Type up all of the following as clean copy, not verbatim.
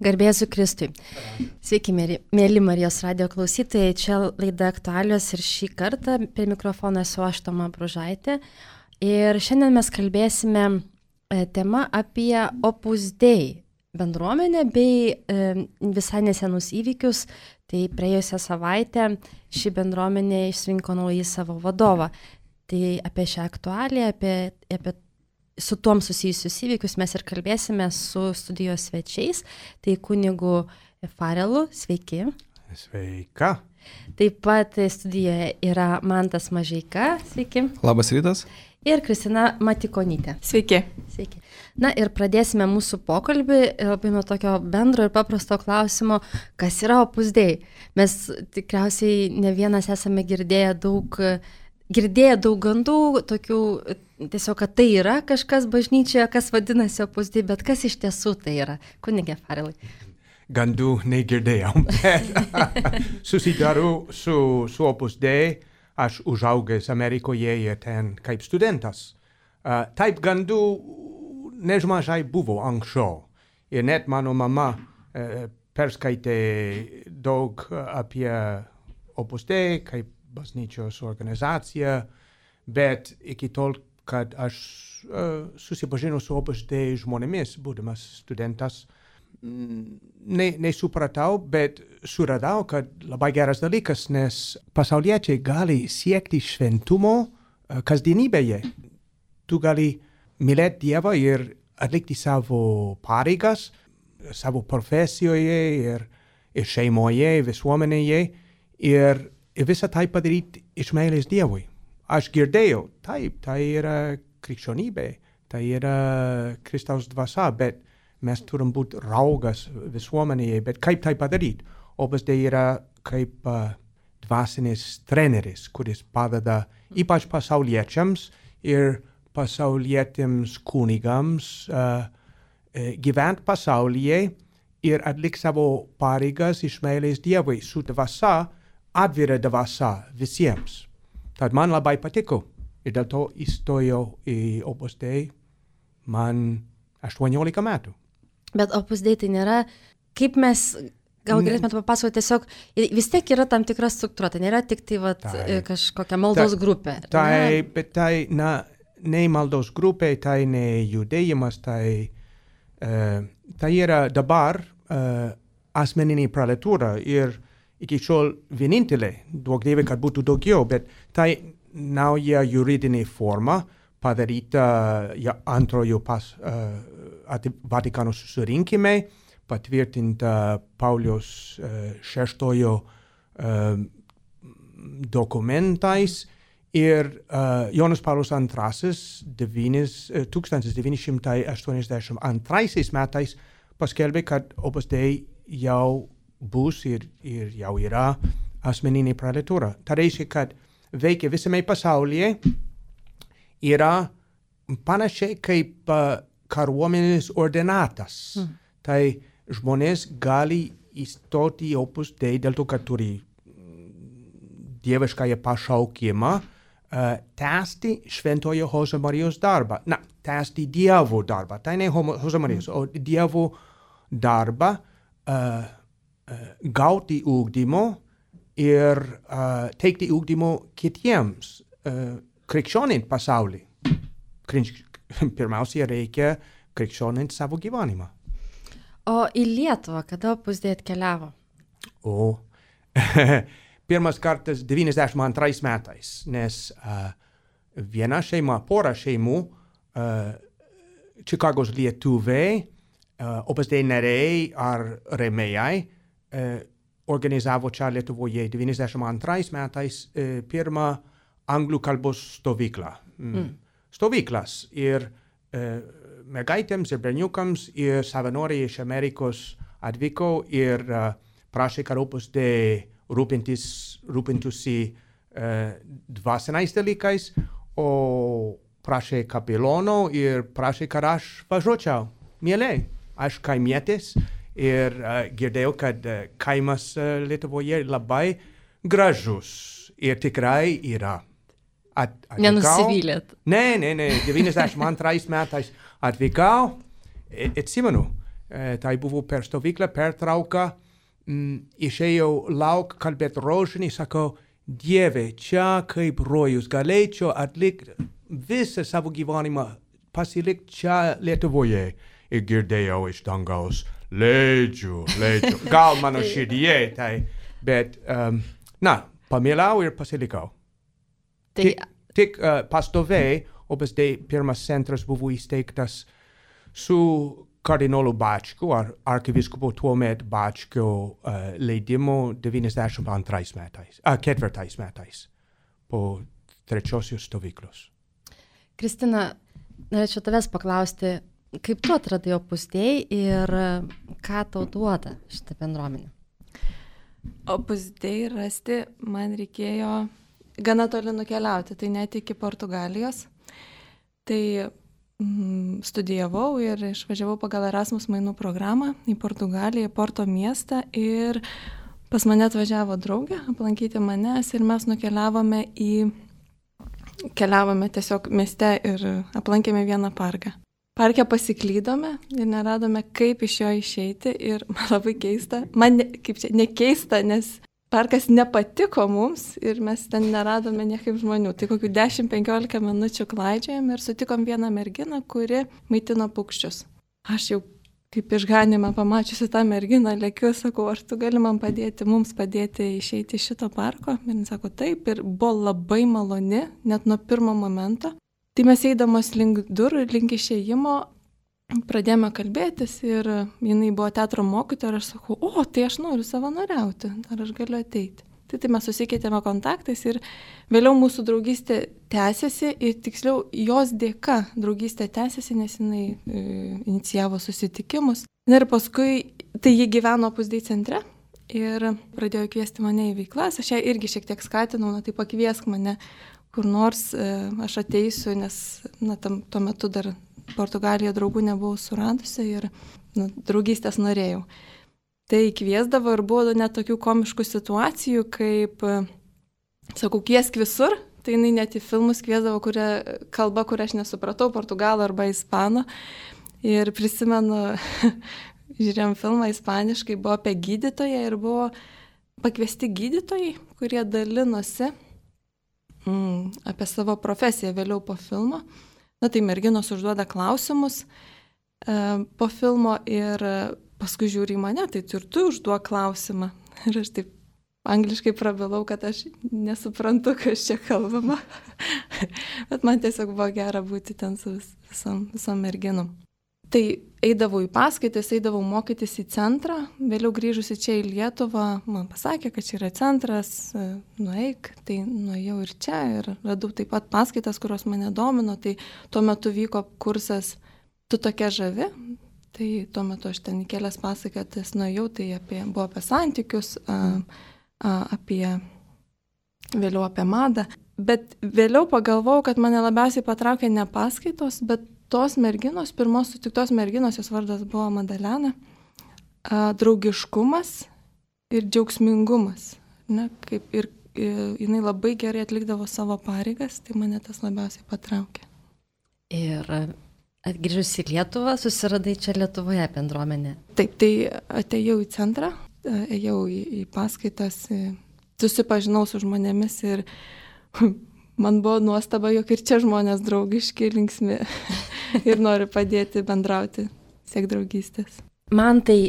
Garbėsiu Kristui. Sveiki, mėly Marijos radijo klausytojai. Čia laida Aktualijos ir šį kartą prie mikrofono esu aš, Toma Bružaitė. Ir šiandien mes kalbėsime tema apie Opus Dei bendruomenę bei visai nesenus įvykius. Tai praėjusią savaitę ši bendruomenė išrinko naują savo vadovą. Tai apie šią aktualiją, apie su tuom susijusius įvykius mes ir kalbėsime su studijos svečiais. Tai kunigu Farelu, sveiki. Sveika. Taip pat studijoje yra Mantas Mažeika, sveiki. Labas rytas. Ir Kristina Matikonytė. Sveiki. Sveiki. Na ir pradėsime mūsų pokalbį labai nuo tokio bendro ir paprasto klausimo, kas yra Opus Dei. Mes tikriausiai ne vienas esame girdėję daug gandų, tokių tiesiog, kad tai yra kažkas bažnyčioje, kas vadinasi Opus Dei, bet kas iš tiesų tai yra? Kunige Farelai. Gandų negirdėjau. Susidarau su Opus Dei, aš užaugęs Amerikoje ir ten kaip studentas. Taip gandų nežmažai buvo anksčiau. Ir net mano mama perskaitė daug apie Opus Dei, kaip bažnyčios organizacija, bet iki tol, kad aš susipažinau su Opus Dei žmonėmis, būdamas studentas, nesupratau, bet suradau, kad labai geras dalykas, nes pasauliečiai gali siekti šventumo kasdienybėje. Tu gali mylėti Dievą ir atlikti savo pareigas, savo profesijoje ir šeimoje, visuomenėje ir visą tai padaryti iš meilės Dievui. Aš girdėjau, taip, tai yra krikščionybė, tai yra Kristaus dvasia, bet mes turim būti raugas visuomenėje, bet kaip tai padaryti? Opus Dei yra kaip dvasinis treneris, kuris padeda ypač pasauliečiams ir pasaulietėms kunigams gyventi pasaulyje ir atlikti savo pareigas iš meilės Dievui su dvasia, atvira dvasia visiems. Tad man labai patiko ir dėl to įstojau į Opus Dei man 18 metų. Bet Opus Dei tai nėra, kaip mes, gal galėtumėte papasakoti, tiesiog vis tiek yra tam tikra struktūra, tai nėra tik tai kažkokia maldos grupė. Bet tai ne maldos grupė, tai ne judėjimas, tai yra dabar asmeninė prelatura ir iki šiol vienintelė, duok Dieve, kad būtų daugiau, bet tai nauja juridinė forma padaryta antrojo Vatikano susirinkime, patvirtinta Pauliaus VI dokumentais ir Jonas Paulius II 1982 metais paskelbė, kad Opus Dei jau bus ir jau yra asmeninė prelatura. Tai reiškia, kad veikia visame pasaulyje, yra panašiai kaip kariuomenės ordinatas. Tai žmonės gali įstoti į Opus Dei dėl to, kad turi dieviškąją pašaukimą, tęsti šventojo Jose Marijos darbą. Tęsti Dievo darbą. Tai ne Jose Marijos, o Dievo darbą, gauti ugdymo ir teikti ugdymo kitiems krikščionint pasaulį. Pirmiausia, reikia krikščionint savo gyvenimą. O į Lietuvą kada Opus Dei atkeliavo? Pirmas kartas 92 metais, nes viena šeima, pora šeimų, Čikagos lietuviai, Opus Dei nariai ar rėmėjai, organizavo čia Lietuvoje 92 metais pirmą anglų kalbos stovyklą. Stovyklas ir mergaitėms ir berniukams ir savanoriai iš Amerikos atvyko ir prašė, kad Opus Dei rūpintųsi dvasiniais dalykais, o prašė kapelono ir prašė, kad aš važiuočiau. Mielai, aš kaimietis ir girdėjau, kad kaimas Lietuvoje labai gražus ir tikrai yra. Nenusivylėt? Ne, 92 metais atvykau, atsimenu, tai buvo per stovyklą, pertrauką, išėjau lauk, kalbėti rožinį, sakau, Dieve, čia kaip rojus, galėčiau atlikti visą savo gyvenimą, pasilikti čia Lietuvoje. Ir girdėjau iš dangaus, leidžiu. Gal mano širdyje, tai, bet, pamilau ir pasilikau. Tik pastoviai, OBSD pirmas centras buvo įsteigtas su kardinolu Bačku, arkivyskupu tuomet Bačku leidimu 92 metais, 4 metais po trečiosios stovyklos. Kristina, norėčiau tavęs paklausti, kaip tu atradai Opus Dei ir ką tau duoda šitą bendruomenę? Opus Dei rasti man reikėjo gana toli nukeliauti, tai net iki Portugalijos. Tai studijavau ir išvažiavau pagal Erasmus mainų programą į Portugaliją, Porto miestą ir pas mane atvažiavo draugė aplankyti manęs ir mes keliavome tiesiog mieste ir aplankėme vieną parką. Parke pasiklydome ir neradome, kaip iš jo išeiti ir man labai keista, nekeista, nes parkas nepatiko mums ir mes ten neradome niekaip žmonių. Tai kokių 10-15 minučių klaidžiojom ir sutikom vieną merginą, kuri maitino paukščius. Aš jau kaip išganimą pamačiusi tą merginą, lėkiu, sakau, ar tu gali man padėti, mums padėti išeiti iš šito parko? Ir jis sako, taip, ir buvo labai maloni, net nuo pirmo momento. Tai mes eidamos link durų ir link išėjimo pradėjome kalbėtis ir jinai buvo teatro mokytoja ir aš sakau, tai aš noriu savanoriauti, ar aš galiu ateiti. Tai mes susikeitėme kontaktais ir vėliau mūsų draugystė tęsiasi ir tiksliau jos dėka draugystė tęsiasi, nes jinai inicijavo susitikimus. Ir paskui, tai ji gyveno Opus Dei centre ir pradėjo kviesti mane į veiklas, aš ją irgi šiek tiek skatinau, tai pakviesk mane kur nors, aš ateisiu, nes tuo metu dar Portugalijoje draugų nebuvau suradusi ir draugystės norėjau. Tai kviesdavo ir buvo net tokių komiškų situacijų, kaip, sakau, kviesk visur, tai jinai net į filmus kviesdavo kalbą, kurią aš nesupratau, portugalų arba ispanų. Ir prisimenu, žiūrėjom filmą ispaniškai, buvo apie gydytoją ir buvo pakviesti gydytojai, kurie dalinosi apie savo profesiją vėliau po filmo. Tai merginos užduoda klausimus po filmo ir paskui žiūri į mane, tai ir tu užduok klausimą. Ir aš taip angliškai prabilau, kad aš nesuprantu, kas čia kalbama. Bet man tiesiog buvo gera būti ten su visom merginom. Tai eidavau į paskaitas, eidavau mokytis į centrą, vėliau grįžusi čia į Lietuvą, man pasakė, kad čia yra centras, nueik, tai nuėjau ir čia ir radau taip pat paskaitas, kurios mane domino, tai tuo metu vyko kursas Tu tokia žavi, tai tuo metu aš ten į kelias paskaitas nuėjau, tai buvo apie santykius, vėliau apie madą, bet vėliau pagalvojau, kad mane labiausiai patraukė ne paskaitos, bet tos merginos, pirmos sutiktos merginos, jos vardas buvo Madalena, draugiškumas ir džiaugsmingumas. Ir jinai labai gerai atlikdavo savo pareigas, tai mane tas labiausiai patraukė. Ir atgrįžus į Lietuvą, susiradai čia Lietuvoje bendruomenę? Taip, tai atėjau į centrą, ėjau į paskaitas, susipažinau su žmonėmis ir man buvo nuostaba, jog ir čia žmonės draugiški, linksmi ir nori padėti bendrauti, siek draugystės. Man tai,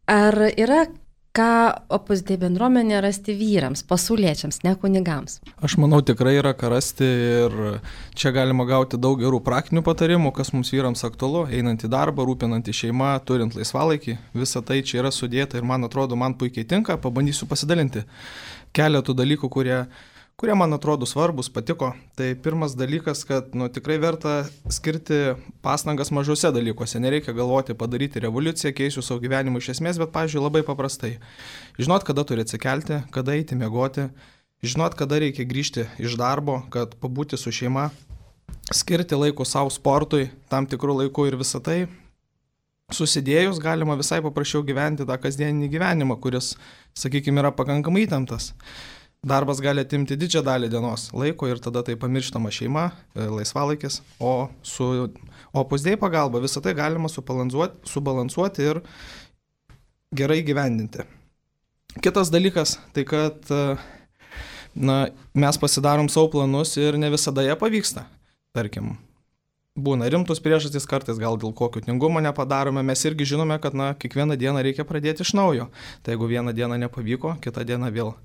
ar yra ką Opus Dei bendruomenė rasti vyrams, pasauliečiams, ne kunigams? Aš manau, tikrai yra ką rasti ir čia galima gauti daug gerų praktinių patarimų, kas mums vyrams aktualu, einant į darbą, rūpinant į šeimą, turint laisvalaikį. Visa tai čia yra sudėta ir man atrodo, man puikiai tinka, pabandysiu pasidalinti keletų dalykų, kurie man atrodo svarbus, patiko. Tai pirmas dalykas, kad tikrai verta skirti pastangas mažose dalykuose. Nereikia galvoti padaryti revoliuciją, keisiu savo gyvenimą iš esmės, bet, pavyzdžiui, labai paprastai. Žinot, kada turi atsikelti, kada eiti miegoti, žinot, kada reikia grįžti iš darbo, kad pabūti su šeima, skirti laiko savo sportui, tam tikrų laikų ir visą tai. Susidėjus galima visai paprasčiau gyventi tą kasdieninį gyvenimą, kuris, sakykime, yra pakankamai įtemptas. Darbas gali atimti didžiąją dalį dienos laiko ir tada tai pamirštama šeima, laisvalaikis, o Opus Dei pagalba visą tai galima subalansuoti ir gerai gyvendinti. Kitas dalykas, tai kad mes pasidarom savo planus ir ne visada jie pavyksta. Tarkim, būna rimtus priežastys, kartais gal dėl kokio tingumo nepadarome, mes irgi žinome, kad kiekvieną dieną reikia pradėti iš naujo. Tai jeigu vieną dieną nepavyko, kitą dieną vėl.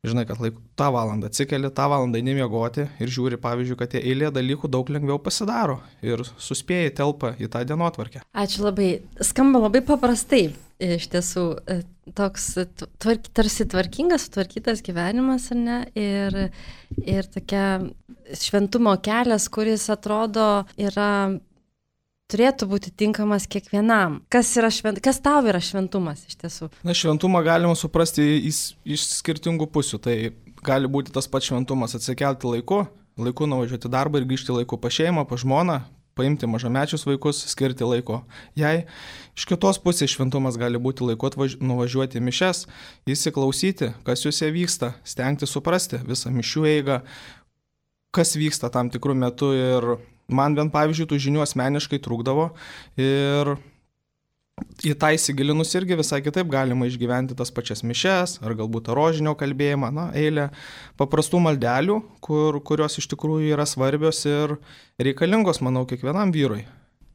Žinai, kad tą valandą atsikeli, tą valandą nemiegoti ir žiūri, pavyzdžiui, kad tie eilė dalykų daug lengviau pasidaro ir suspėjai telpa į tą dienotvarkę. Ačiū labai. Skamba labai paprastai. Iš tiesų, toks tarsi tvarkingas, sutvarkytas gyvenimas, ar ne? Ir tokia šventumo kelias, kuris atrodo turėtų būti tinkamas kiekvienam. Kas tau yra šventumas iš tiesų? Šventumą galima suprasti iš skirtingų pusių. Tai gali būti tas pats šventumas atsikelti laiku nuvažiuoti darbą ir grįžti laiku pas šeimą, pas žmoną, paimti mažamečius vaikus, skirti laiko jai. Iš kitos pusės šventumas gali būti laiku nuvažiuoti mišias, įsiklausyti, kas juose vyksta, stengti suprasti visą mišių eigą, kas vyksta tam tikrų metų ir man bent pavyzdžiui tų žinių asmeniškai trūkdavo ir į tą įsigilinus irgi visai kitaip galima išgyventi tas pačias mišias ar galbūt rožinio kalbėjimą, eilę paprastų maldelių, kurios iš tikrųjų yra svarbios ir reikalingos, manau, kiekvienam vyrui.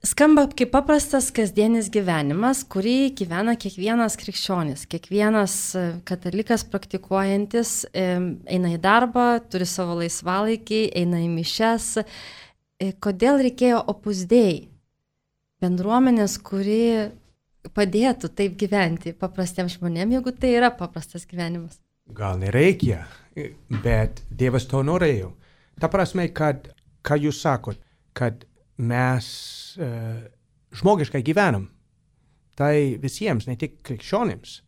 Skamba kaip paprastas kasdienis gyvenimas, kurį gyvena kiekvienas krikščionis, kiekvienas katalikas praktikuojantis, eina į darbą, turi savo laisvalaikį, eina į mišias. Kodėl reikėjo Opus Dei? Bendruomenės, kuri padėtų taip gyventi paprastiems žmonėms, jeigu tai yra paprastas gyvenimas. Gal nereikia, bet Dievas to norėjo. Ta prasme, kad, ką jūs sakot, kad mes žmogiškai gyvenam. Tai visiems, ne tik krikščionims.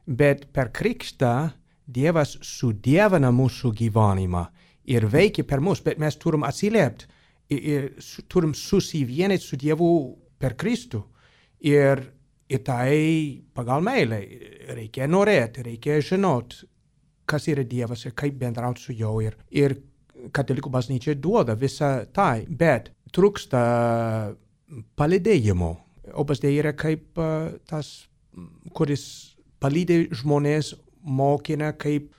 Bet per krikštą Dievas sudievina mūsų gyvenimą ir veikia per mus, bet mes turim atsiliepti ir turim susivienyti su Dievu per Kristų. Ir tai pagal meilę reikia norėti, reikia žinoti, kas yra Dievas ir kaip bendrauti su juo. Ir katalikų bažnyčia duoda visą tai, bet trūksta palydėjimo. Opus Dei yra kaip tas, kuris palydė žmonės, mokina kaip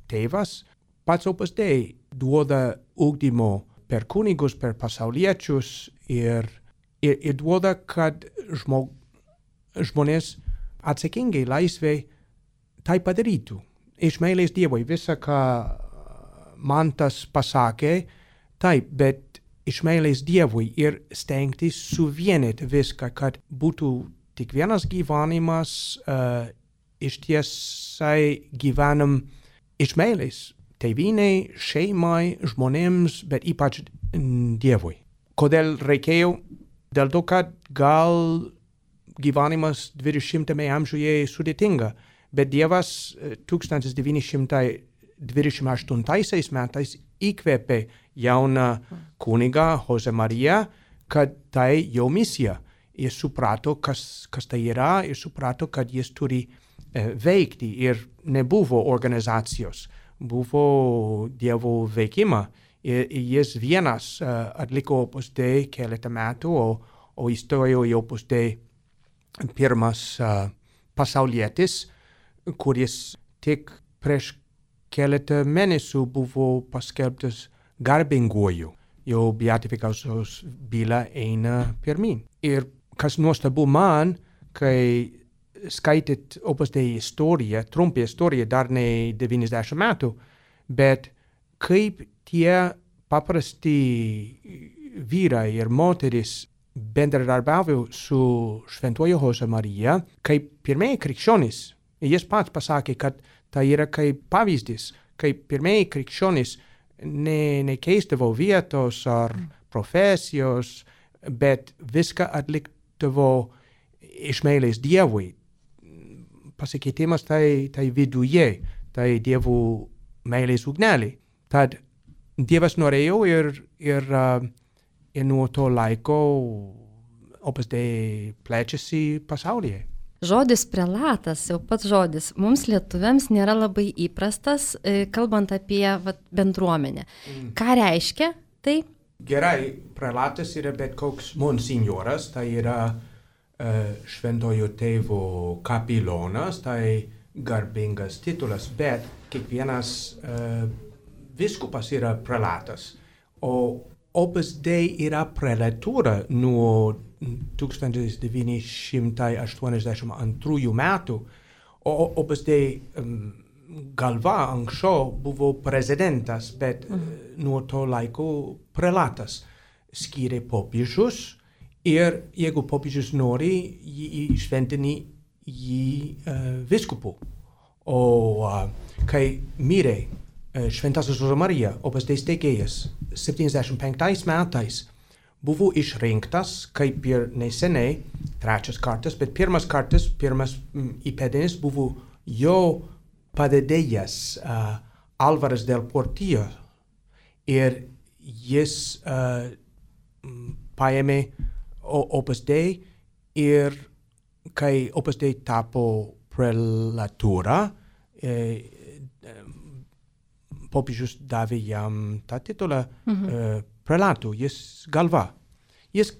tėvas. Pats Opus Dei duoda ugdymo per kunigus, per pasauliečius ir duoda, kad žmonės atsakingai laisvai tai padarytų. Iš meilės Dievui visą, ką man tas pasakė, taip, bet iš meilės Dievui ir stengtis suvienyti viską, kad būtų tik vienas gyvenimas, iš tiesai gyvenam iš meilės tėvynei, šeimai, žmonėms, bet ypač Dievui. Kodėl reikėjo? Dėl to, kad gal gyvenimas 20 amžiuje sudėtinga, bet Dievas 1928 metais įkvėpė jauną kunigą Jose Mariją, kad tai jo misija. Jis suprato, kas tai yra, ir suprato, kad jis turi veikti ir nebuvo organizacijos, buvo Dievo veikimą. Ir jis vienas atliko Opus Dei keletą metų, o įstojo į Opus Dei pirmas pasaulietis, kuris tik prieš keletą mėnesių buvo paskelbtas garbinguoju. Jo beatifikacijos byla eina pirmin. Ir kas nuostabu man, kai skaityt Opus Dei istoriją, trumpą istoriją, dar ne 90 metų, bet kaip tie paprasti vyrai ir moteris bendradarbiavo su šventuoju Jose Marija, kaip pirmieji krikščionys. Jis pats pasakė, kad tai yra kaip pavyzdys, kaip pirmieji krikščionys nekeisdavo vietos ar profesijos, bet viską atlikdavo iš meilės Dievui. Pasikeitimas tai viduje, tai Dievo meilės ugnelė. Tad Dievas norėjo ir nuo to laiko Opus Dei plečiasi pasaulyje. Žodis prelatas, jau pats žodis, mums lietuviams nėra labai įprastas, kalbant apie bendruomenę. Ką reiškia tai Gerai, prelatas yra bet koks monsignoras, tai yra šventojo tėvo kapilonas, tai garbingas titulas, bet kiekvienas viskupas yra prelatas. O Opus Dei yra prelatūra nuo 1982 metų, o Opus Dei galva anksčiau buvo prezidentas, bet nuo to laiko prelatas skyrė popiežius ir jeigu popiežius nori, jį šventinį viskupu. O kai mirė Šventasis Jose Marija, Opus Dei steigėjas, 75 metais buvo išrinktas kaip ir neseniai, trečias kartas, bet pirmas įpėdinis buvo jo padedėjas Alvaras del Portillo ir jis paėmė Opus Dei ir kai Opus Dei tapo prelatūra, popiežius davė jam tą titulą prelatų, jis galva. Jis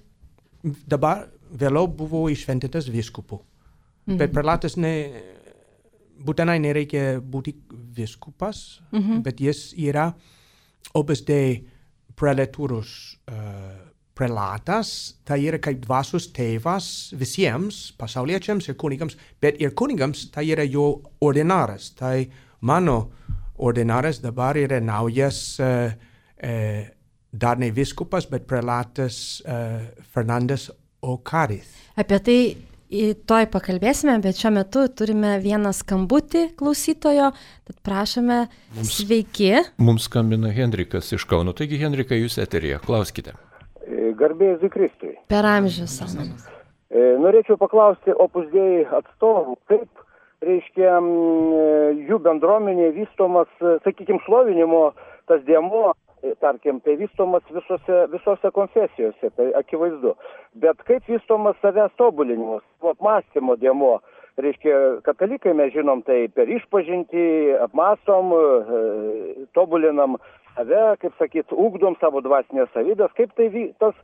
dabar vėliau buvo iššventintas vyskupu, bet prelatas būtinai nereikia būti vyskupas, bet jis yra Opus Dei prelatūros prelatas, tai yra kaip dvasios tėvas visiems pasauliečiams ir kunigams, bet ir kunigams tai yra jo ordinaras. Tai mano ordinaras dabar yra naujas dar ne vyskupas, bet prelatas Fernandas Okariz. Apie tai toj pakalbėsime, bet šiuo metu turime vieną skambutį klausytojo, tad prašome, sveiki. Mums skambina Henrikas iš Kauno. Taigi, Henrikai, jūs eteryje, klauskite. Garbė Jėzui Kristui. Per amžius. Norėčiau paklausti Opus Dei atstovų, kaip, reiškia, jų bendruomenė vystomas, sakykime, šlovinimo tas dėmuo, tarkim, tai vystomas visose konfesijose, tai akivaizdu. Bet kaip vystomas savęs tobulinimas, apmąstymo dėmuo, reiškia, katalikai mes žinom, tai per išpažintį apmąstom, tobulinam save, kaip sakyt, ugdom savo dvasinės savybės, kaip tai tas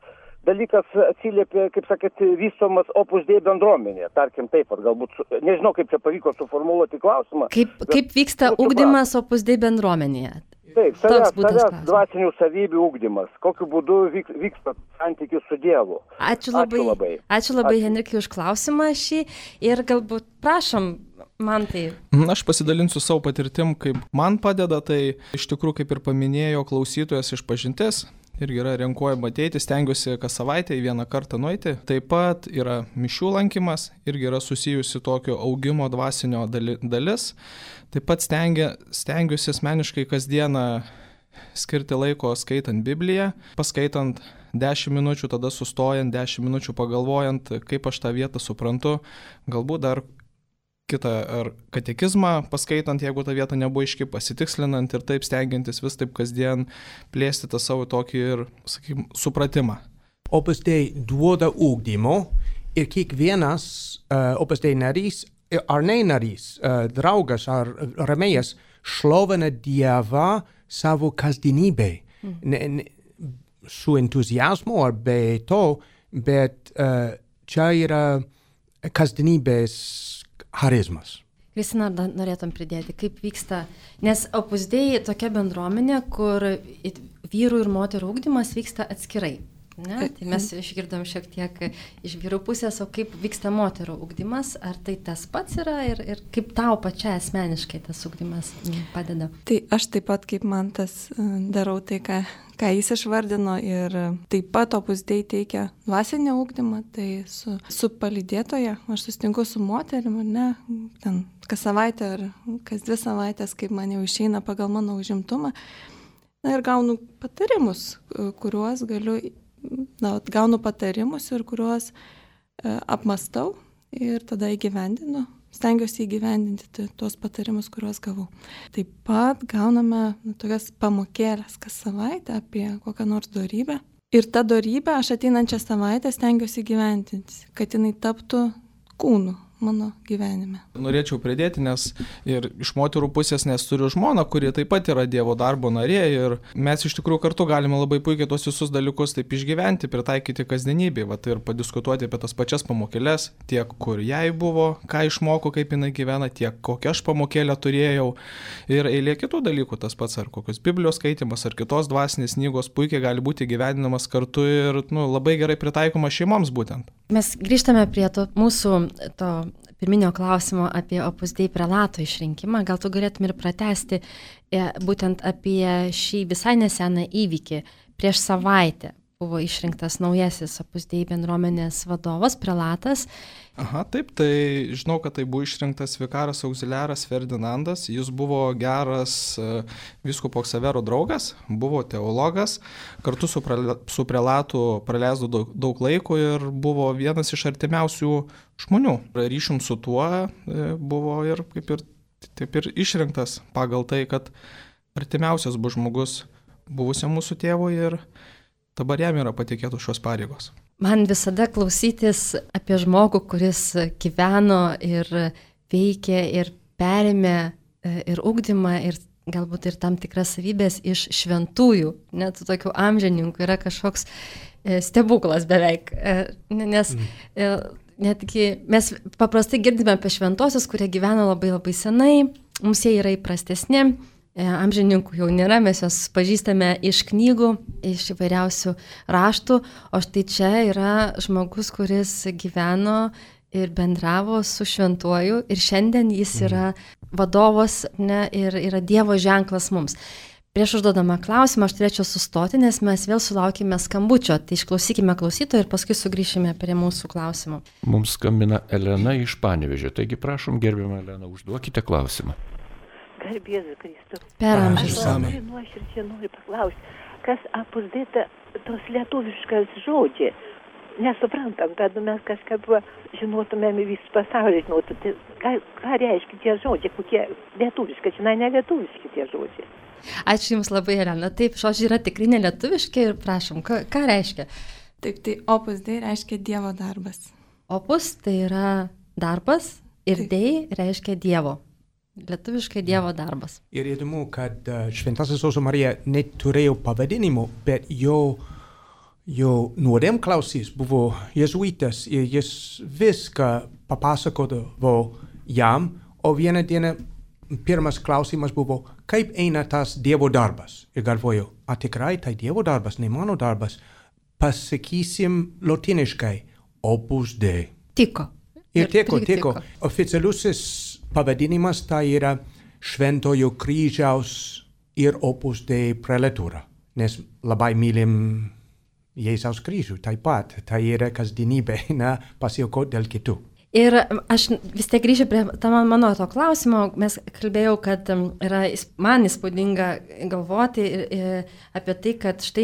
dalykas atsiliepia, kaip sakyt, vystomas Opus Dei bendruomenė, tarkim taip, galbūt, nežinau, kaip čia pavyko suformuluoti klausimą. Kaip vyksta ugdymas Opus Dei bendruomenėje? Taip, savęs dvasinių savybių ugdymas. Kokiu būdu vyksta santykis su Dievu. Ačiū labai, Henrikai, už klausimą šį ir galbūt prašom, Mantai. Aš pasidalinsiu savo patirtim, kaip man padeda, tai iš tikrųjų, kaip ir paminėjo klausytojas išpažintis, irgi yra renkuojama ateiti, stengiuosi kas savaitę į vieną kartą nueiti. Taip pat yra mišių lankymas, irgi yra susijusi tokio augimo dvasinio dalis. Taip pat stengiuosi asmeniškai kasdieną skirti laiko skaitant Bibliją, paskaitant 10 minučių, tada sustojant 10 minučių pagalvojant, kaip aš tą vietą suprantu, galbūt dar kitą ar katekizmą paskaitant, jeigu ta vieta nebuvo aiški, pasitikslinant ir taip stengiantis vis taip kasdien plėsti tą savo tokį ir, sakykime, supratimą. Opus Dei duoda ugdymo ir kiekvienas Opus Dei narys ar ne narys, draugas ar rėmėjas šlovina Dievą savo kasdienybei. Su entuziazmu ar be to, bet čia yra kasdienybės charizmas. Kristina, ar norėtum pridėti, kaip vyksta, nes Opus Dei tokia bendruomenė, kur vyrų ir moterų ugdymas vyksta atskirai. Ne? Tai mes išgirdom šiek tiek iš vyrų pusės, o kaip vyksta moterų ugdymas, ar tai tas pats yra ir kaip tau pačia asmeniškai tas ugdymas padeda? Tai aš taip pat kaip Mantas darau tai, ką jis išvardino ir taip pat Opus Dei teikia dvasinį ugdymą, tai su palydėtoja, aš susitinku su moterim, ne, ten kas savaitę ar kas 2 savaitės, kaip man jau išeina pagal mano užimtumą, na ir gaunu patarimus, kuriuos gaunu patarimus ir kuriuos apmastau ir tada įgyvendinu. Stengiuosi įgyvendinti tuos patarimus, kuriuos gavau. Taip pat gauname tokias pamokėlės kas savaitę apie kokią nors dorybę. Ir tą dorybę aš ateinančią savaitę stengiuosi įgyvendinti, kad jinai taptų kūnu mano gyvenime. Norėčiau pridėti, nes ir iš moterų pusės, nes turiu žmoną, kuri taip pat yra Dievo darbo narė ir mes iš tikrųjų kartu galime labai puikiai tos visus dalykus taip išgyventi, pritaikyti kasdienybėje, vat ir padiskutuoti apie tas pačias pamokėlės, tiek kur jai buvo, ką išmoko, kaip jinai gyvena, tiek kokią aš pamokėlę turėjau ir eilė kitų dalykų, tas pats ar kokios Biblijos skaitimas, ar kitos dvasinės knygos puikiai gali būti gyveninamas kartu ir labai gerai pritaikomas šeimoms būtent. Mes grįžtame prie mūsų pirminio klausimo apie Opus Dei prelato išrinkimą. Gal tu galėtum ir pratesti būtent apie šį visai neseną įvykį. Prieš savaitę buvo išrinktas naujasis Opus Dei bendruomenės vadovas, prelatas. Aha, taip, tai žinau, kad tai buvo išrinktas vikaras auxiliaras Ferdinandas. Jis buvo geras vyskupo Ksavero draugas, buvo teologas, kartu su prelatu praleisdavo daug laiko ir buvo vienas iš artimiausių žmonių. Ryšium su tuo buvo ir taip ir išrinktas pagal tai, kad artimiausias buvo žmogus buvusiam mūsų tėvui ir dabar jam yra patikėtų šios pareigos. Man visada klausytis apie žmogų, kuris gyveno ir veikė ir perėmė ir ugdymą ir galbūt ir tam tikras savybės iš šventųjų, net tokių amžininkų, yra kažkoks stebuklas beveik. Nes netgi mes paprastai girdime apie šventosius, kurie gyveno labai labai senai, mums jie yra įprastesni. Amžininkų jau nėra, mes juos pažįstame iš knygų, iš įvairiausių raštų, o štai čia yra žmogus, kuris gyveno ir bendravo su šventuoju ir šiandien jis yra vadovas ir yra Dievo ženklas mums. Prieš užduodamą klausimą aš turėčiau sustoti, nes mes vėl sulaukime skambučio, tai išklausykime klausytojo ir paskui sugrįšime prie mūsų klausimų. Mums skambina Elena iš Panevėžio, taigi prašom, gerbiama Elena, užduokite klausimą. Garbėzu Kristų. Per amžius. Aš labai nuoširdžiai noriu paklausti, kas Opus Dei tos lietuviškas žodžiai. Nesuprantam, kad mes kažkaip žinotumėm visą pasaulį, žinotų, ką reiškia tie žodžiai, kokie lietuviški, žinai, ne lietuviški tie žodžiai. Ačiū Jums labai, Elena. Taip, žodžiai yra tikrai nelietuviški ir prašom, ką reiškia? Taip, tai Opus Dei reiškia Dievo darbas. Opus tai yra darbas ir Dei reiškia Dievo. Lietuviškai Dievo darbas. Ir įdomu, kad Šventasis Jėzus Marija neturėjo pavadinimų, bet jo nuodėmklausys buvo jėzuitas ir jis viską papasakodavo jam, o vieną dieną pirmas klausimas buvo, kaip eina tas Dievo darbas. Ir galvoju, tikrai tai Dievo darbas, ne mano darbas. Pasakysim lotiniškai, Opus Dei. Tiko. Ir tiko. Oficialusis pavadinimas tai yra Šventojo kryžiaus ir Opus Dei prelatūra, nes labai mylim Jėzaus kryžių taip pat, tai yra kasdienybė, pasiaukoti dėl kitų. Ir aš vis tiek grįšiu prie mano to klausimo, mes kalbėjau, kad yra man įspūdinga galvoti apie tai, kad štai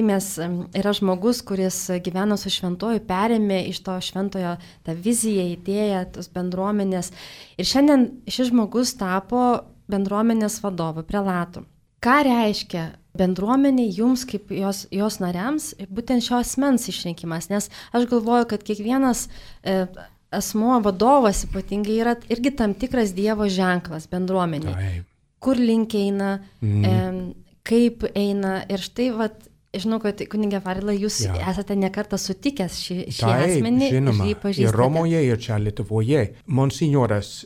yra žmogus, kuris gyveno su šventuoju, perėmė iš to šventojo tą viziją, idėją, tos bendruomenės. Ir šiandien šis žmogus tapo bendruomenės vadovu, prelatu. Ką reiškia bendruomenė jums kaip jos nariams, būtent šios asmens išrinkimas? Nes aš galvoju, kad kiekvienas asmuo, vadovas ypatingai yra irgi tam tikras Dievo ženklas bendruomenė. Kur link eina, kaip eina. Ir štai, žinau, kad kunigė Farila, jūs esate nekartą sutikęs šį asmenį. Žinoma, ir jį pažįstate. Ir Romoje, ir čia Lietuvoje. Monsignoras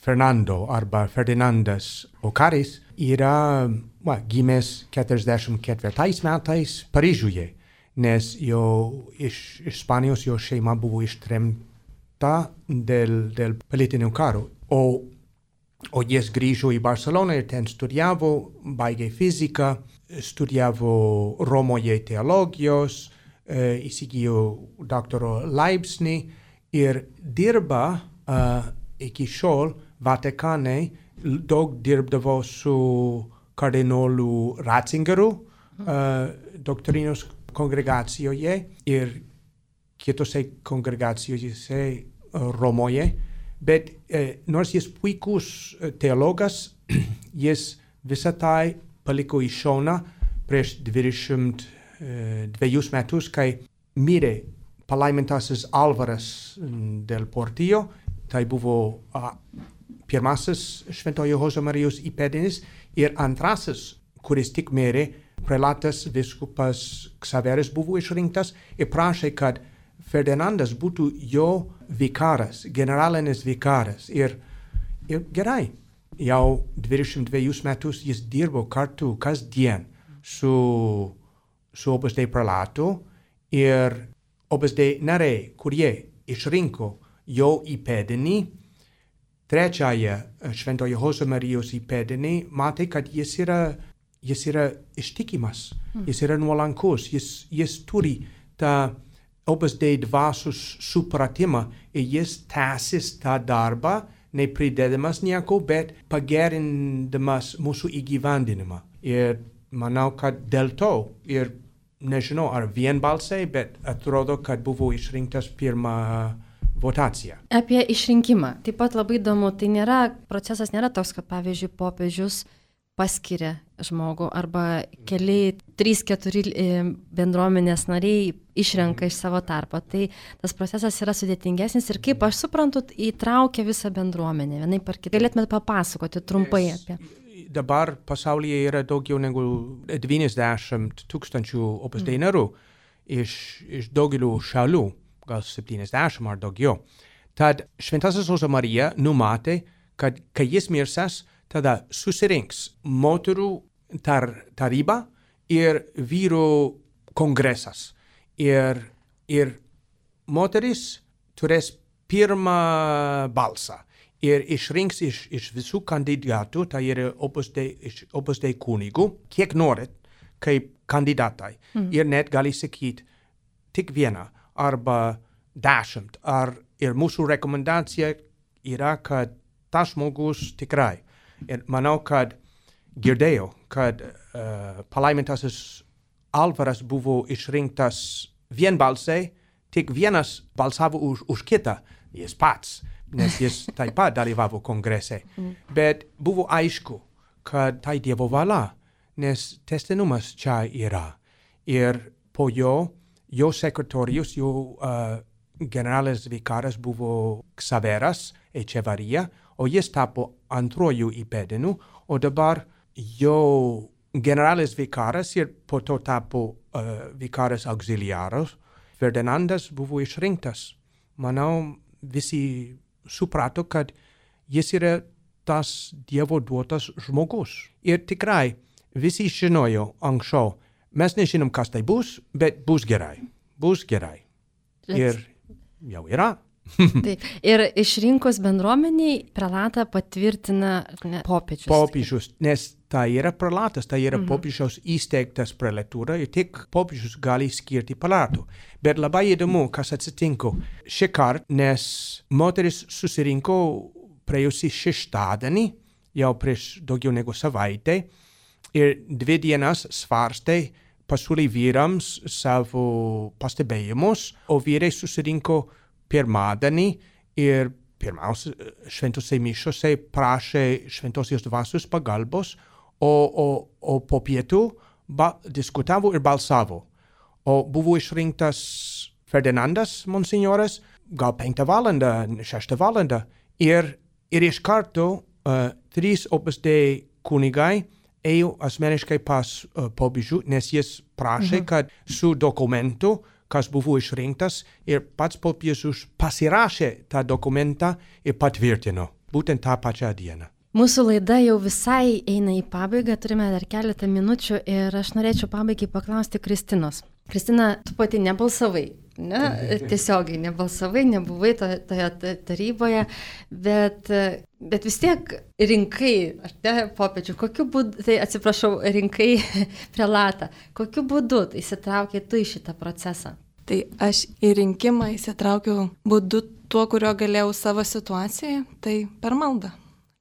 Fernando arba Ferdinandas Okaris yra gimęs 44 metais Paryžiuje. Nes iš Ispanijos jo šeima buvo ištremta dėl politinių karų. O jis grįžo į Barceloną ir ten studijavo, baigė fiziką, studijavo Romoje teologijos, įsigijo daktaro laipsnį ir dirba iki šiol Vatikane, daug dirbdavo su kardinolu Ratzingeriu, doktrinos kongregacijoje ir kitose kongregacijose Romoje, bet nors jis puikus teologas, jis visą tai paliko į šoną prieš 22 metus, kai mirė palaimintasis Alvaras del Portillo tai buvo pirmasis Šventojo Josemarijos įpėdinis ir antrasis, kuris tik mirė, prelatas vyskupas Ksaveras buvo išrinktas ir prašė, kad Ferdinandas būtų jo vikaras, generalinis vikaras. Ir gerai, jau 22 metus jis dirbo kartu kasdien su Opus Dei prelatu ir Opus Dei nariai, kurie išrinko jo įpėdinį, trečiąją Šventojo Josemarijos įpėdinį, matė, kad jis yra ištikimas, jis yra nuolankus, jis turi tą Opus Dei dvasios supratimą ir jis tęsis tą darbą, nepridėdamas nieko, bet pagerindamas mūsų įgyvendinimą. Ir manau, kad dėl to, ir nežinau, ar vienbalsiai, bet atrodo, kad buvo išrinktas pirmą votaciją. Apie išrinkimą. Taip pat labai įdomu, tai procesas nėra toks, kad pavyzdžiui popiežius paskiria žmogų arba keli 3-4 bendruomenės nariai išrenka iš savo tarpo. Tai tas procesas yra sudėtingesnis ir kaip aš suprantu, įtraukia visą bendruomenę. Vienai par kitą. Galėtumėte papasakoti trumpai apie. Dabar pasaulyje yra daugiau negu 90 000 Opus Dei narių iš daugelių šalių, gal 70 ar daugiau. Tad Šventasis Josemarija numatė, kad kai jis mirsęs, tada susirinks moterų taryba ir vyrų kongresas. Ir moteris turės pirmą balsą ir išrinks iš visų kandidatų, tai yra Opus Dei kunigų, kiek norit, kaip kandidatai. Ir net gali sakyti tik vieną arba 10. Ir mūsų rekomendacija yra, kad tas žmogus tikrai. Ir manau, kad girdėjau, kad palaimintasis Alvaras buvo išrinktas vienbalsiai, tik vienas balsavo už kitą, jis pats, nes jis taip pat dalyvavo kongrese. Bet buvo aišku, kad tai Dievo valia, nes tęstinumas čia yra. Ir po jo sekretorius, jo generalinis vikaras buvo Ksaveras Echevarria, o jis tapo antrojų įpėdinių, o dabar jo generalinis vikaras ir po to tapo vikaras auxiliaras. Ferdinandas buvo išrinktas. Manau, visi suprato, kad jis yra tas Dievo duotas žmogus. Ir tikrai visi žinojo anksčiau. Mes nežinom, kas tai bus, bet bus gerai. Bus gerai. Ir jau yra. Taip. Ir išrinkus bendruomeniai prelatą patvirtina popiežius. Popiežius, nes tai yra prelatas, tai yra popiežiaus įsteigtas prelatūra ir tik popiežius gali skirti prelatų. Bet labai įdomu, kas atsitinko šį kartą, nes moteris susirinko praėjusį šeštadienį, jau prieš daugiau negu savaitę, ir 2 dienas svarstė, pasiūlė vyrams savo pastebėjimus, o vyrai susirinko pirmadienį ir pirmiausia šventose mišiose prašė šventosios dvasios pagalbos, o po pietų diskutavo ir balsavo. O buvo išrinktas Ferdinandas, monsignoras, gal 5 valandą, 6 valandą. Ir iš karto 3 Opus Dei kunigai ėjo asmeniškai pas popiežių, nes jis prašė, kad su dokumentu, kas buvo išrinktas, ir pats popiežius pasirašė tą dokumentą ir patvirtino, būtent tą pačią dieną. Mūsų laida jau visai eina į pabaigą, turime dar keletą minučių ir aš norėčiau pabaigai paklausti Kristinos. Kristina, tu pati nebalsavai, ne? Tiesiogiai nebalsavai, nebuvai toje taryboje, bet vis tiek rinkai, popiežių, kokiu būdu, tai atsiprašau, rinkai prelatą, kokiu būdu įsitraukė tu į šitą procesą? Tai aš į rinkimą įsitraukiau būdu tuo, kurio galėjau savo situacijoje, tai per maldą.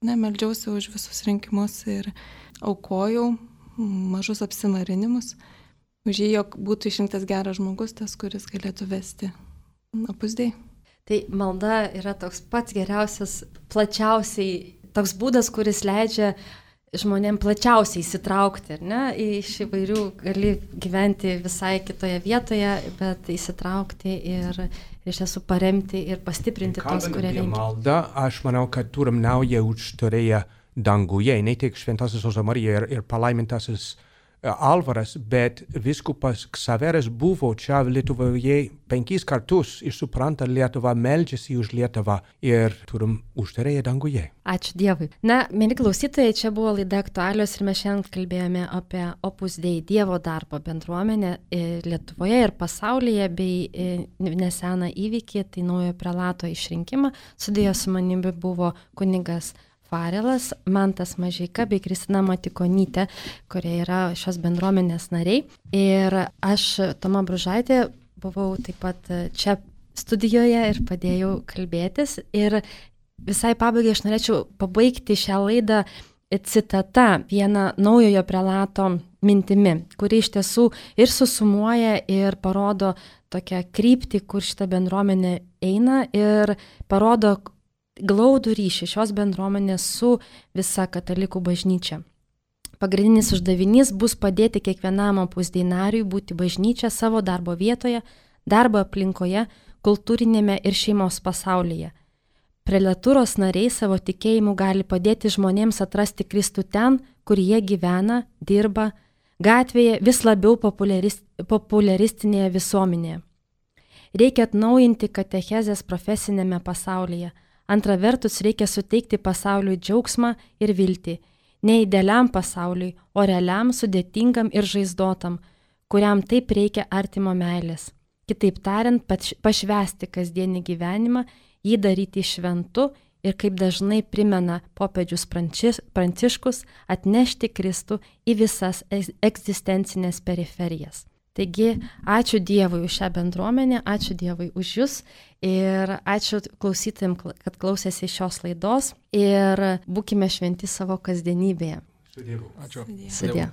Meldžiausi už visus rinkimus ir aukojau mažus apsimarinimus. Už jį, jog būtų išrinktas geras žmogus, tas, kuris galėtų vesti Opus Dei. Tai malda yra toks pats geriausias, plačiausiai toks būdas, kuris leidžia žmonėm plačiausiai įsitraukti, ar ne? Iš įvairių gali gyventi visai kitoje vietoje, bet įsitraukti ir iš tiesų paremti ir pastiprinti tos, kurie reikia. Malda, aš manau, kad turim naują užtarėją danguje, ne tik Šventasis Jose Marija ir palaimintasis Alvaras, bet vyskupas Ksaveras buvo čia Lietuvoje 5 kartus ir supranta Lietuvą, meldžiasi už Lietuvą ir turim užtarėją danguje. Ačiū Dievui. Na, mėly klausytojai, čia buvo laida Aktualios ir mes šiandien kalbėjome apie Opus Dei Dievo darbo bendruomenę Lietuvoje ir pasaulyje bei neseną įvykį, tai naujo prelato išrinkimą. Studijoje su manimi buvo kunigas Farelas, Mantas Mažeika bei Kristina Matikonytė, kurie yra šios bendruomenės nariai. Ir aš, Toma Bružaitė, buvau taip pat čia studijoje ir padėjau kalbėtis. Ir visai pabaigai aš norėčiau pabaigti šią laidą citata vieno naujojo prelato mintimi, kuri iš tiesų ir susumuoja ir parodo tokią kryptį, kur šita bendruomenė eina ir parodo glaudų ryšį šios bendruomenės su visa katalikų bažnyčia. Pagrindinis uždavinys bus padėti kiekvienam Opus Dei nariui būti bažnyčia savo darbo vietoje, darbo aplinkoje, kultūrinėme ir šeimos pasaulyje. Prelatūros nariai savo tikėjimu gali padėti žmonėms atrasti Kristų ten, kur jie gyvena, dirba, gatvėje vis labiau populiaristinėje visuomenėje. Reikia atnaujinti katechezės profesinėme pasaulyje. Antra vertus, reikia suteikti pasauliui džiaugsmą ir viltį, ne idealiam pasauliui, o realiam, sudėtingam ir žaizdotam, kuriam taip reikia artimo meilės. Kitaip tariant, pašvęsti kasdienį gyvenimą, jį daryti šventu ir, kaip dažnai primena popiežius Pranciškus, atnešti Kristų į visas egzistencinės periferijas. Taigi, ačiū Dievui už šią bendruomenę, ačiū Dievui už jūs ir ačiū klausytojams, kad klausėsi šios laidos ir būkime šventi savo kasdienybėje. Su Dievu. Ačiū. Sudie.